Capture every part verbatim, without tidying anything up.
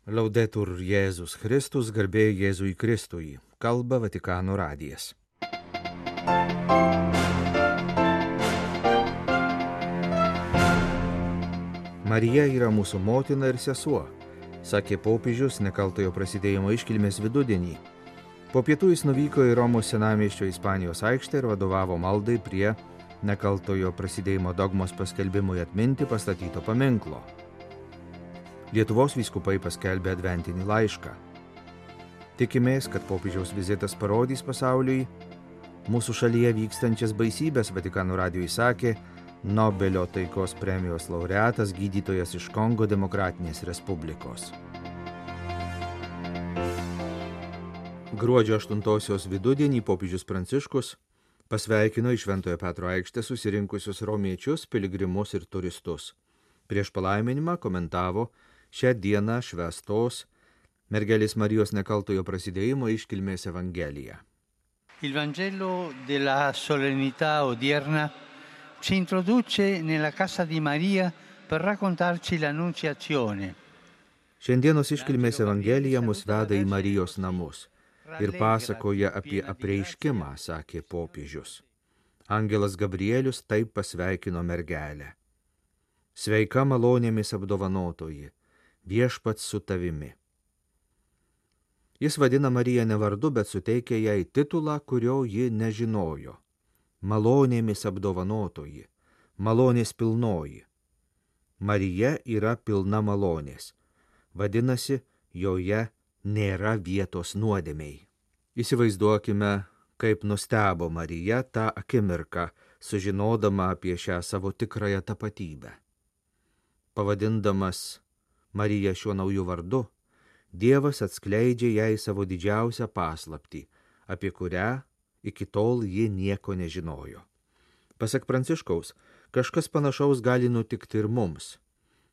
Laudetur Jėzus Kristus, garbė Jėzui Kristui, kalba Vatikano radijas. Marija yra mūsų motina ir sesuo, sakė popiežius nekaltojo prasidėjimo iškilmės vidudienį. Po pietų jis nuvyko į Romos senamiesčio Ispanijos aikštę ir vadovavo maldai prie nekaltojo prasidėjimo dogmos paskelbimui atminti pastatyto paminklo. Lietuvos vyskupai paskelbė adventinį laišką. Tikimės, kad popiežiaus vizitas parodys pasauliui mūsų šalyje vykstančias baisybės, Vatikano radijui sakė Nobelio taikos premijos laureatas gydytojas iš Kongo Demokratinės Respublikos. Gruodžio aštuntosios vidudienį popiežius Pranciškus pasveikino į Šventojo Petro aikštę susirinkusius romiečius, piligrimus ir turistus. Prieš palaiminimą komentavo šią dieną švęstos mergelės Marijos nekaltojo prasidėjimo iškilmės evangeliją. Il Vangelo della solennità odierna ci introduce nella casa di Maria per raccontarci l'annunciazione. Šiandienos iškilmės evangelija mus veda į Marijos namus ir pasakoja apie apreiškimą, sakė popiežius. Angelas Gabrielius taip pasveikino mergelę. Sveika malonėmis apdovanotoji, viešpats su tavimi. Jis vadina Mariją ne vardu, bet suteikia jai titulą, kurio ji nežinojo. Malonėmis apdovanotoji, malonės pilnoji. Marija yra pilna malonės. Vadinasi, joje nėra vietos nuodėmei. Įsivaizduokime, kaip nustebo Marija tą akimirką, sužinodama apie šią savo tikrąją tapatybę. Pavadindamas Mariją šiuo nauju vardu, Dievas atskleidžia jai savo didžiausią paslaptį, apie kurią iki tol ji nieko nežinojo. Pasak Pranciškaus, kažkas panašaus gali nutikti ir mums.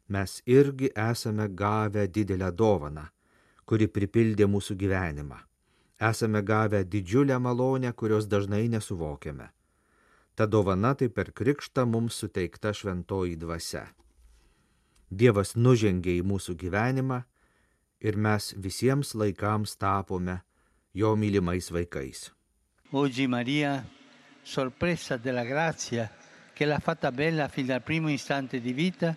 Mes irgi esame gavę didelę dovaną, kuri pripildė mūsų gyvenimą. Esame gavę didžiulę malonę, kurios dažnai nesuvokiame. Ta dovana tai per krikštą mums suteikta šventoji dvasia. Dievas nužengė į mūsų gyvenimą ir mes visiems laikams tapome jo mylimais vaikais. Oggi Maria, sorpresa della grazia che l'ha fatta bella fin dal primo istante di vita,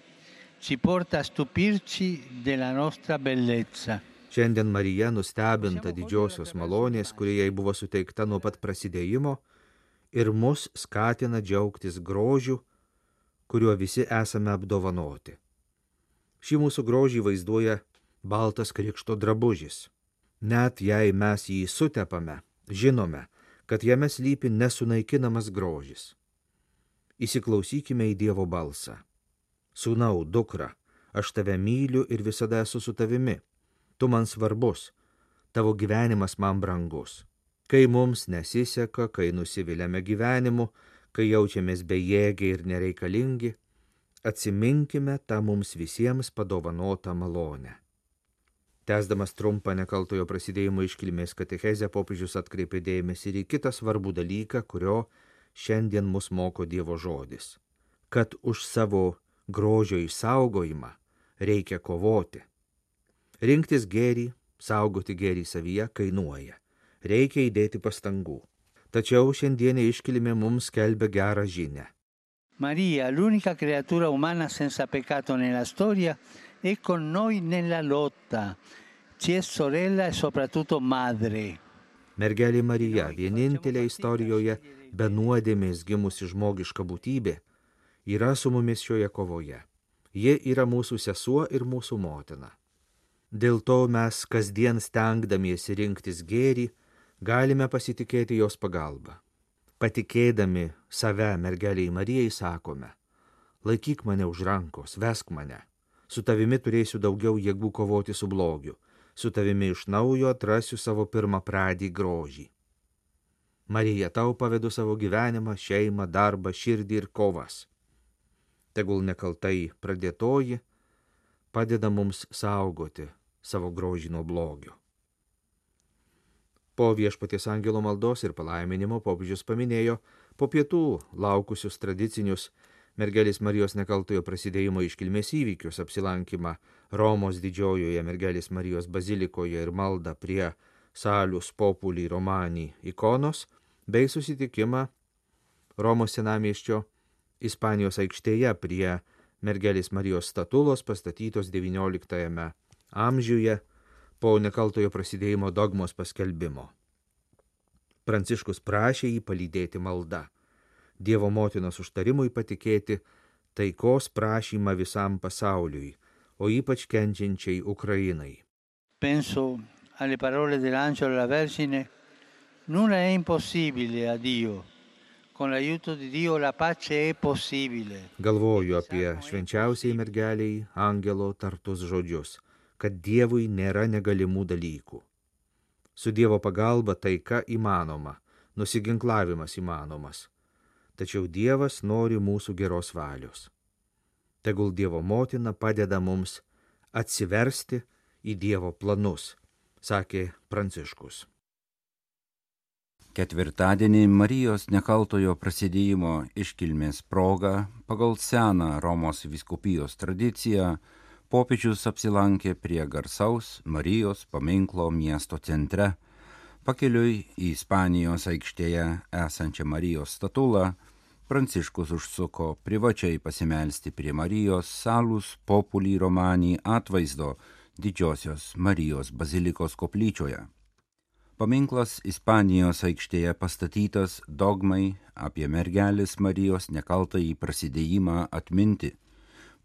ci porta a stupirci della nostra bellezza. Šiandien Marija, nustebinta didžiosios malonės, kuri jai buvo suteikta nuo pat prasidėjimo, ir mus skatina džiaugtis grožiu, kuriuo visi esame apdovanoti. Šį mūsų grožį vaizduoja baltas krikšto drabužis. Net jei mes jį sutepame, žinome, kad jame slypi nesunaikinamas grožis. Įsiklausykime į Dievo balsą. Sūnau, dukra, aš tave myliu ir visada esu su tavimi. Tu man svarbus, tavo gyvenimas man brangus. Kai mums nesiseka, kai nusiviliame gyvenimu, kai jaučiamės bejėgiai ir nereikalingi, atsiminkime tą mums visiems padovanotą malonę. Tęsdamas trumpą nekaltojo prasidėjimo iškilmės katechezę, popiežius atkreipė dėmesį ir į kitą svarbų dalyką, kurio šiandien mus moko Dievo žodis. Kad už savo grožio išsaugojimą reikia kovoti. Rinktis gėrį, saugoti gėrį savyje kainuoja. Reikia įdėti pastangų. Tačiau šiandienė iškilmė mums skelbia gerą žinią. Maria, l'unica creatura umana senza peccato nella storia, è con noi nella lotta. Ci è sorella e soprattutto madre. Mergelė Marija, vienintelė istorijoje be nuodėmės gimusi žmogiška būtybė, yra su mumis šioje kovoje. Ji yra mūsų sesuo ir mūsų motina. Dėl to mes kasdien stengdamiesi rinktis gėrį, galime pasitikėti jos pagalba. Patikėdami save mergelei Marijai sakome, laikyk mane už rankos, vesk mane. Su tavimi turėsiu daugiau jėgų kovoti su blogiu. Su tavimi iš naujo atrasiu savo pirmą pradį grožį. Marija, tau pavedu savo gyvenimą, šeimą, darbą, širdį ir kovas. Tegul nekaltai pradėtoji padeda mums saugoti savo grožį nuo blogio. Po Viešpaties angelo maldos ir palaiminimo popiežius paminėjo po pietų laukusius tradicinius mergelės Marijos nekaltojo prasidėjimo iškilmės įvykius, apsilankymą Romos didžiojoje mergelės Marijos bazilikoje ir maldą prie Salus Populi Romani ikonos, bei susitikimą Romos senamiesčio Ispanijos aikštėje prie mergelės Marijos statulos pastatytos devynioliktajame amžiuje po nekaltojo prasidėjimo dogmos paskelbimo. Pranciškus prašė jį palydėti malda, Dievo motinos užtarimui patikėti taikos prašymą visam pasauliui, o ypač kenčiančiai Ukrainai. Penso alle parole dell'angelo alla Vergine, nulla è impossibile a Dio. Con l'aiuto di Dio la pace è possibile. Galvoju apie švenčiausiai mergeliai angelo tartus žodžius, kad Dievui nėra negalimų dalykų. Su Dievo pagalba taika įmanoma, nusiginklavimas įmanomas. Tačiau Dievas nori mūsų geros valios. Tegul Dievo motina padeda mums atsiversti į Dievo planus, sakė Pranciškus. Ketvirtadienį Marijos nekaltojo prasidėjimo iškilmės proga pagal seną Romos vyskupijos tradiciją popiežius apsilankė prie garsaus Marijos paminklo miesto centre. Pakeliui į Ispanijos aikštėje esančią Marijos statulą Pranciškus užsuko privačiai pasimelsti prie Marijos Salus Populi Romani atvaizdo Didžiosios Marijos bazilikos koplyčioje. Paminklas Ispanijos aikštėje pastatytas dogmai apie mergelės Marijos nekaltąjį prasidėjimą atminti.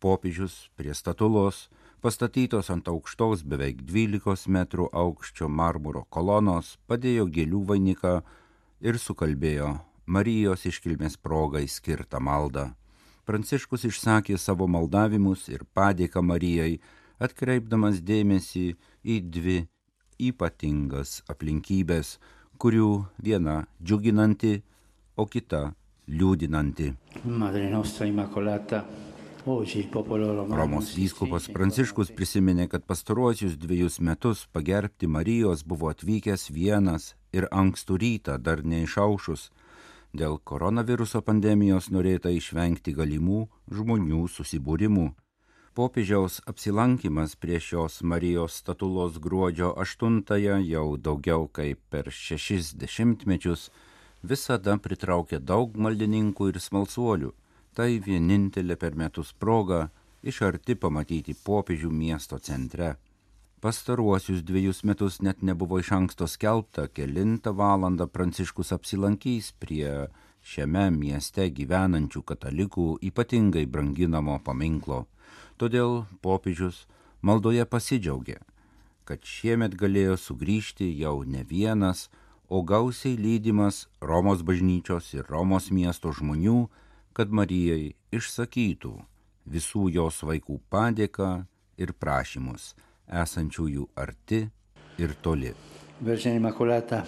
Popiežius prie statulos, pastatytos ant aukštos beveik dvylikos metrų aukščio marmuro kolonos, padėjo gėlių vainiką ir sukalbėjo Marijos iškilmės progai skirtą maldą. Pranciškus išsakė savo maldavimus ir padėką Marijai, atkreipdamas dėmesį į dvi ypatingas aplinkybės, kurių viena džiuginanti, o kita liūdinanti. Madre nostra immacolata. Romos vyskupas Pranciškus prisiminė, kad pastaruosius dviejus metus pagerbti Marijos buvo atvykęs vienas ir ankstų rytą dar neišaušus. Dėl koronaviruso pandemijos norėta išvengti galimų žmonių susibūrimų. Popiežiaus apsilankimas prie šios Marijos statulos gruodžio aštuntąją jau daugiau kaip per šešis dešimtmečius visada pritraukė daug maldininkų ir smalsuolių. Tai vienintelė per metus proga iš arti pamatyti popiežių miesto centre. Pastaruosius dviejus metus net nebuvo iš anksto skelbta, kelintą valandą Pranciškus apsilankys prie šiame mieste gyvenančių katalikų ypatingai branginamo paminklo. Todėl popiežius maldoje pasidžiaugė, kad šiemet galėjo sugrįžti jau ne vienas, o gausiai lydimas Romos bažnyčios ir Romos miesto žmonių, kad Marijai išsakytų visų jos vaikų padėką ir prašymus, esančiųjų arti ir toli. Vergine Immacolata,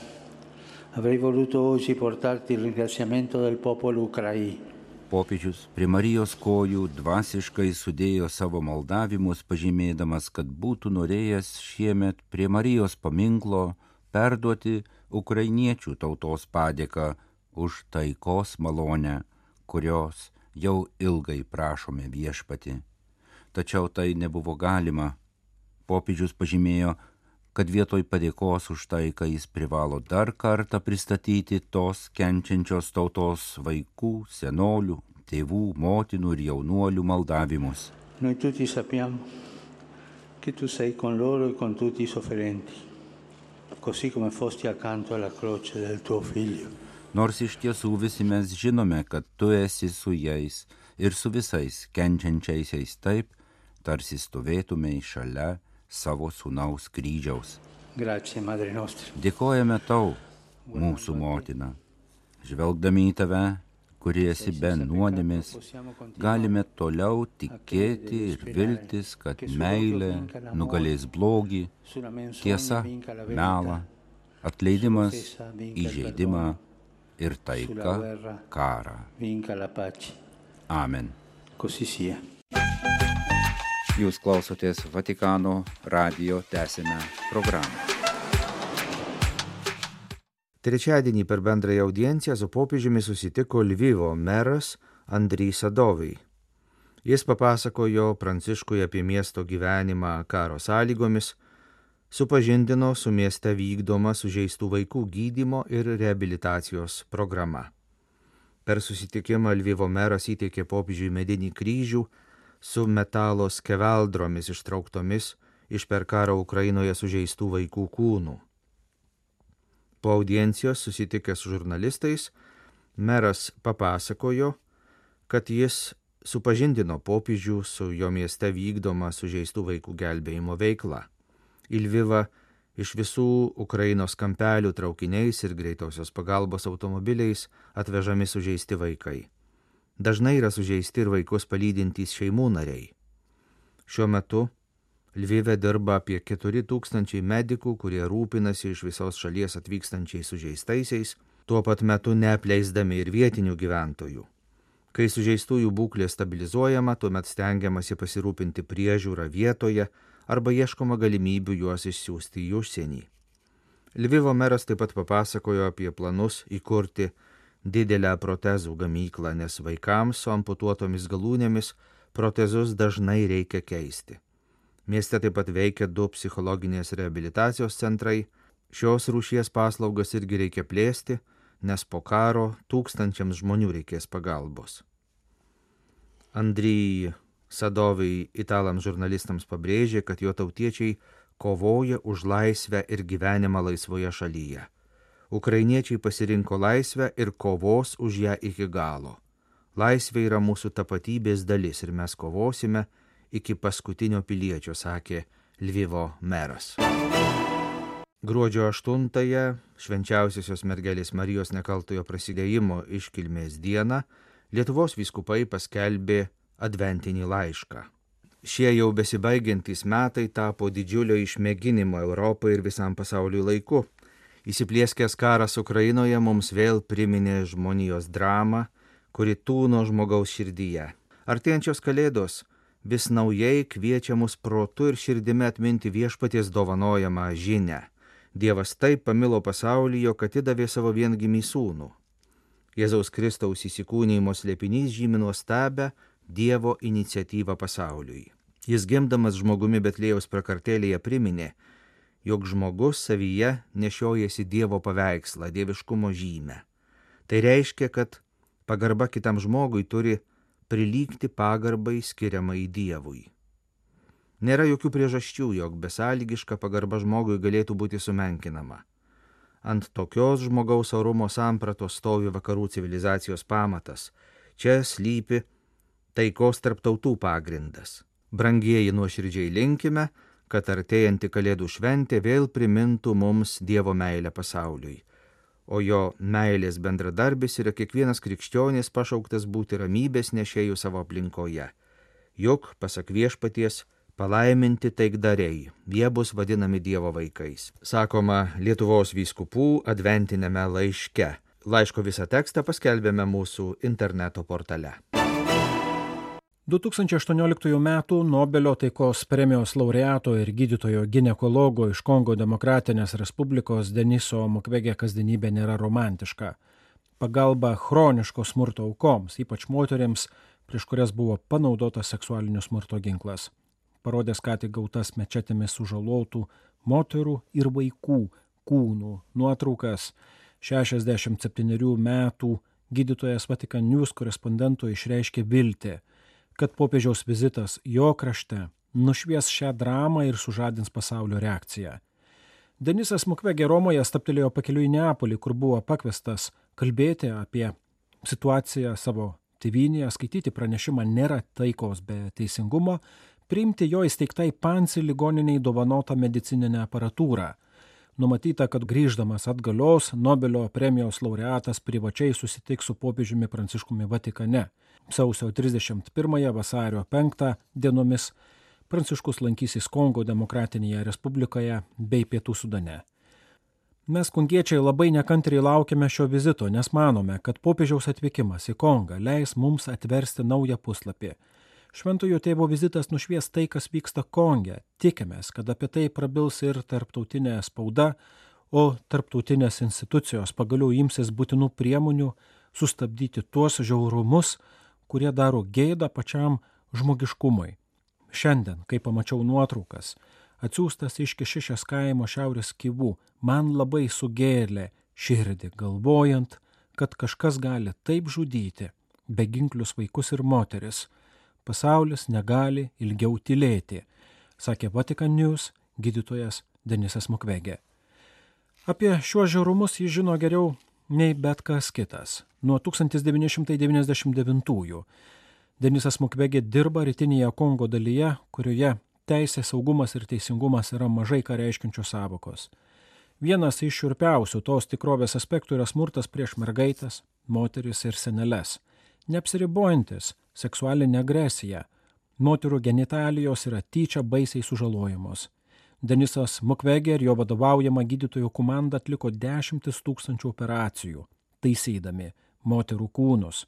avrei voluto oggi portarti il ringraziamento del popolo ucraino. Popiežius prie Marijos kojų dvasiškai sudėjo savo maldavimus, pažymėdamas, kad būtų norėjęs šiemet prie Marijos paminklo perduoti ukrainiečių tautos padėką už taikos malonę, kurios jau ilgai prašome viešpati. Tačiau tai nebuvo galima. Popiežius pažymėjo, kad vietoj padėkos už taiką jis privalo dar kartą pristatyti tos kenčiančios tautos vaikų, senolių, tėvų, motinų ir jaunuolių maldavimus. Noi tutti sappiamo che tu sei con loro e con tutti i sofferenti, così come fosti accanto alla croce del tuo figlio. Nors iš tiesų visi mes žinome, kad tu esi su jais ir su visais kenčiančiaisiais taip, tarsi stovėtumei šalia savo sūnaus kryžiaus. Grazie, Madre nostra. Dėkojame tau, mūsų motina. Žvelgdami į tave, kuri esi be nuodėmės, galime toliau tikėti ir viltis, kad meilė nugalės blogį, tiesa, melą, atleidimas, įžeidimą ir taika karą. Amen. Jūs klausotės Vatikano radijo tęsinę programą. Trečiadienį per bendrąją audienciją su popiežiumi susitiko Lvivo meras Andrij Sadovij. Jis papasakojo Pranciškui apie miesto gyvenimą karo sąlygomis, supažindino su mieste vykdoma sužeistų vaikų gydymo ir reabilitacijos programa. Per susitikimą Lvivo meras įteikė popiežiui medinį kryžių su metalo skeveldromis ištrauktomis iš per karą Ukrainoje sužeistų vaikų kūnų. Po audiencijos susitikęs su žurnalistais, meras papasakojo, kad jis supažindino popiežių su jo mieste vykdoma sužeistų vaikų gelbėjimo veikla. Į Lvivą iš visų Ukrainos kampelių traukiniais ir greitosios pagalbos automobiliais atvežami sužeisti vaikai. Dažnai yra sužeisti ir vaikus palydintys šeimų nariai. Šiuo metu Lvive dirba apie keturi tūkstančiai medikų, kurie rūpinasi iš visos šalies atvykstančiais sužeistaisiais, tuo pat metu neapleisdami ir vietinių gyventojų. Kai sužeistųjų būklė stabilizuojama, tuomet stengiamasi pasirūpinti priežiūrą vietoje arba ieškoma galimybių juos išsiųsti į užsienį. Lvivo meras taip pat papasakojo apie planus įkurti didelę protezų gamyklą, nes vaikams su amputuotomis galūnėmis protezus dažnai reikia keisti. Mieste taip pat veikia du psichologinės reabilitacijos centrai. Šios rūšies paslaugas irgi reikia plėsti, nes po karo tūkstančiams žmonių reikės pagalbos. Andrij Sadovij italams žurnalistams pabrėžė, kad jo tautiečiai kovoja už laisvę ir gyvenimą laisvoje šalyje. Ukrainiečiai pasirinko laisvę ir kovos už ją iki galo. Laisvė yra mūsų tapatybės dalis ir mes kovosime iki paskutinio piliečio, sakė Lvivo meras. Gruodžio aštuntąją, švenčiausiosios mergelės Marijos nekaltojo prasidėjimo iškilmės dieną, Lietuvos vyskupai paskelbė adventinį laišką. Šie jau besibaigiantys metai tapo didžiulio išmėginimo Europai ir visam pasauliui laiku. Įsiplieskęs karas Ukrainoje mums vėl priminė žmonijos dramą, kuri tūno žmogaus širdyje. Artėjančios kalėdos vis naujai kviečia mus protu ir širdimi atminti viešpaties dovanojamą žinią. Dievas taip pamilo pasaulį, jog atidavė savo viengimį sūnų. Jėzaus Kristaus įsikūnijimo slėpinys žymi nuostabę Dievo iniciatyvą pasauliui. Jis gimdamas žmogumi Betliejaus prakartėlėje priminė, jog žmogus savyje nešiojasi Dievo paveikslą, dieviškumo žymę. Tai reiškia, kad pagarba kitam žmogui turi prilygti pagarbai skiriamai Dievui. Nėra jokių priežasčių, jog besąlygiška pagarba žmogui galėtų būti sumenkinama. Ant tokios žmogaus orumo sampratos stovi vakarų civilizacijos pamatas. Čia slypi taikos tarp tautų pagrindas. Brangieji, nuoširdžiai linkime, kad artėjanti Kalėdų šventė vėl primintų mums Dievo meilę pasauliui. O jo meilės bendradarbis yra kiekvienas krikščionis pašauktas būti ramybės nešėjų savo aplinkoje. Juk, pasak viešpaties, palaiminti taikdariai, jie bus vadinami Dievo vaikais. Sakoma Lietuvos vyskupų adventinėme laiške. Laiško visą tekstą paskelbėme mūsų interneto portale. du tūkstančiai aštuonioliktųjų metų Nobelio taikos premijos laureato ir gydytojo ginekologo iš Kongo Demokratinės Respublikos Deniso Mukwege kasdienybė nėra romantiška. Pagalba chroniško smurto aukoms, ypač moterims, prieš kurias buvo panaudotas seksualinio smurto ginklas. Parodęs ką tik gautas mečetėmis sužalotų moterų ir vaikų kūnų nuotraukas, šešiasdešimt septynerių metų gydytojas Vatikan News korespondentui išreiškė viltį, kad popiežiaus vizitas jo krašte nušvies šią dramą ir sužadins pasaulio reakciją. Denisas Mukwege Romoje stabtelėjo pakeliui į Neapolį, kur buvo pakviestas kalbėti apie situaciją savo tėvynėje, skaityti pranešimą Nėra taikos be teisingumo, priimti jo įsteigtai Pansi ligoniniai dovanotą medicininę aparatūrą. Numatyta, kad grįždamas atgalios Nobelio premijos laureatas privačiai susitiks su popiežiumi Pranciškumi Vatikane. Sausio trisdešimt pirmąją vasario penktą dienomis Pranciškus lankysis Kongo Demokratinėje Respublikoje bei Pietų Sudane. Mes kongiečiai labai nekantriai laukiame šio vizito, nes manome, kad popiežiaus atvykimas į Kongą leis mums atversti naują puslapį. Šventojo tėvo vizitas nušvies tai, kas vyksta Konge. Tikimės, kad apie tai prabils ir tarptautinė spauda, o tarptautinės institucijos pagaliau imsis būtinų priemonių sustabdyti tuos žiaurumus, kurie daro gėdą pačiam žmogiškumui. Šiandien, kai pamačiau nuotraukas, atsiųstas iš Kešišės kaimo Šiaurės Kivų, man labai sugėlė širdį, galvojant, kad kažkas gali taip žudyti beginklius vaikus ir moteris. Pasaulis negali ilgiau tylėti, sakė Vatican News gydytojas Denisas Mukwege. Apie šiuos žiaurumus jis žino geriau nei bet kas kitas. Nuo tūkstantis devyni šimtai devyniasdešimt devintųjų Denisas Mukwege dirba rytinėje Kongo dalyje, kurioje teisė, saugumas ir teisingumas yra mažai ką reiškiančios sąvokos. Vienas iš šiurpiausių tos tikrovės aspektų yra smurtas prieš mergaites, moteris ir seneles. Neapsiribojantis seksualinė agresija. Moterų genitalijos yra tyčia baisiai sužalojamos. Denisas Mukwege ir jo vadovaujama gydytojų komanda atliko dešimtis tūkstančių operacijų, taisydami moterų kūnus.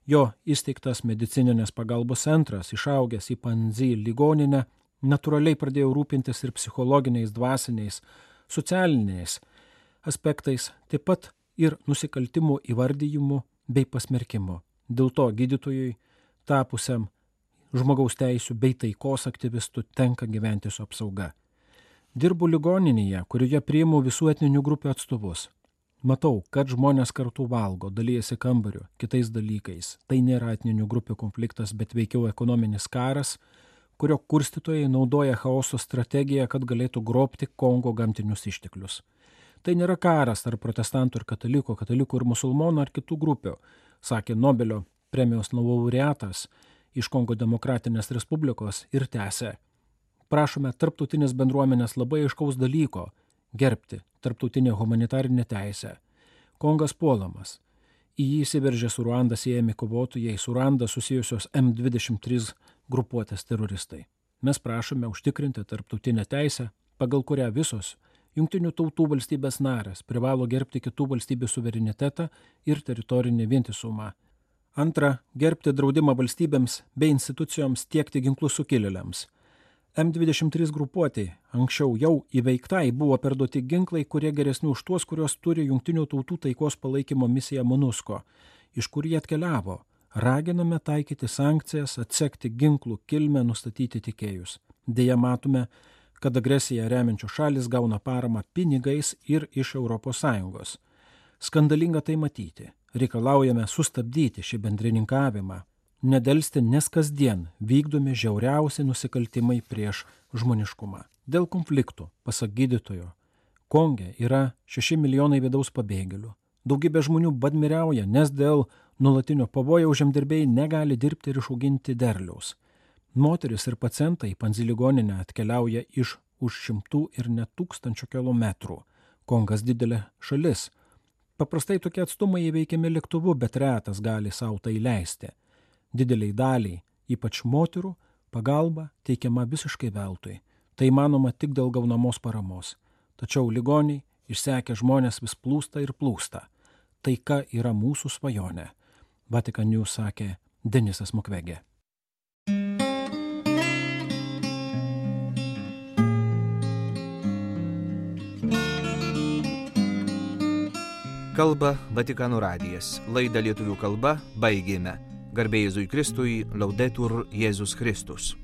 Jo įsteigtas medicininės pagalbos centras, išaugęs į Panzi ligoninę, natūraliai pradėjo rūpintis ir psichologiniais, dvasiniais, socialiniais aspektais, taip pat ir nusikaltimų įvardyjimu bei pasmerkimu. Dėl to gydytojui, tapusiam žmogaus teisių bei taikos aktyvistų, tenka gyventi su apsauga. Dirbu ligoninėje, kurioje priimu visų etninių grupių atstovus. Matau, kad žmonės kartu valgo, dalyjasi kambariu, kitais dalykais. Tai nėra etninių grupių konfliktas, bet veikiau ekonominis karas, kurio kurstytojai naudoja chaoso strategiją, kad galėtų grobti Kongo gamtinius išteklius. Tai nėra karas tarp protestantų ir katalikų, katalikų ir musulmonų ar kitų grupių, sakė Nobelio premijos laureatas iš Kongo Demokratinės Respublikos ir tęsė. Prašome tarptautinės bendruomenės labai aiškaus dalyko – gerbti tarptautinę humanitarinę teisę. Kongas puolamas. Į jį įsiveržė su Ruanda siejami kovotojai, su Ruanda susijusios M dvidešimt trys grupuotės teroristai. Mes prašome užtikrinti tarptautinę teisę, pagal kurią visos Jungtinių tautų valstybės narės privalo gerbti kitų valstybių suverenitetą ir teritorinį vientisumą. Antra, gerbti draudimą valstybėms bei institucijoms tiekti ginklus sukilėliams. M dvidešimt trys grupuotė anksčiau jau įveiktai buvo perduoti ginklai, kurie geresni už tuos, kurios turi Jungtinių tautų taikos palaikymo misiją MONUSCO, iš kur jie atkeliavo. Raginame taikyti sankcijas, atsekti ginklų kilmę, nustatyti tikėjus. Deja matome, kad agresiją remiančios šalis gauna paramą pinigais ir iš Europos Sąjungos. Skandalinga tai matyti. Reikalaujame sustabdyti šį bendrininkavimą. Nedelsti, nes kasdien vykdomi žiauriausi nusikaltimai prieš žmoniškumą. Dėl konfliktų, pasak gydytojo, Konge yra šeši milijonai vidaus pabėgėlių. Daugybė žmonių badmiriauja, nes dėl nuolatinio pavojaus žemdirbiai negali dirbti ir išauginti derliaus. Moteris ir pacientai į Panzi ligoninę atkeliauja iš už šimtų ir net tūkstančių kilometrų. Kongas didelė šalis. Paprastai tokie atstumai įveikiami lėktuvu, bet retas gali sau tai leisti. Dideliai daliai, ypač moterų, pagalba teikiama visiškai veltui. Tai manoma tik dėl gaunamos paramos. Tačiau ligoniai, išsekę žmonės vis plūsta ir plūsta. Taika yra mūsų svajonė, Vatican News sakė Denisas Mukwege. Kalba Vatikano radijas. Laidą lietuvių kalba baigėme. Garbė Jėzui Kristui, Laudetur Jėzus Kristus.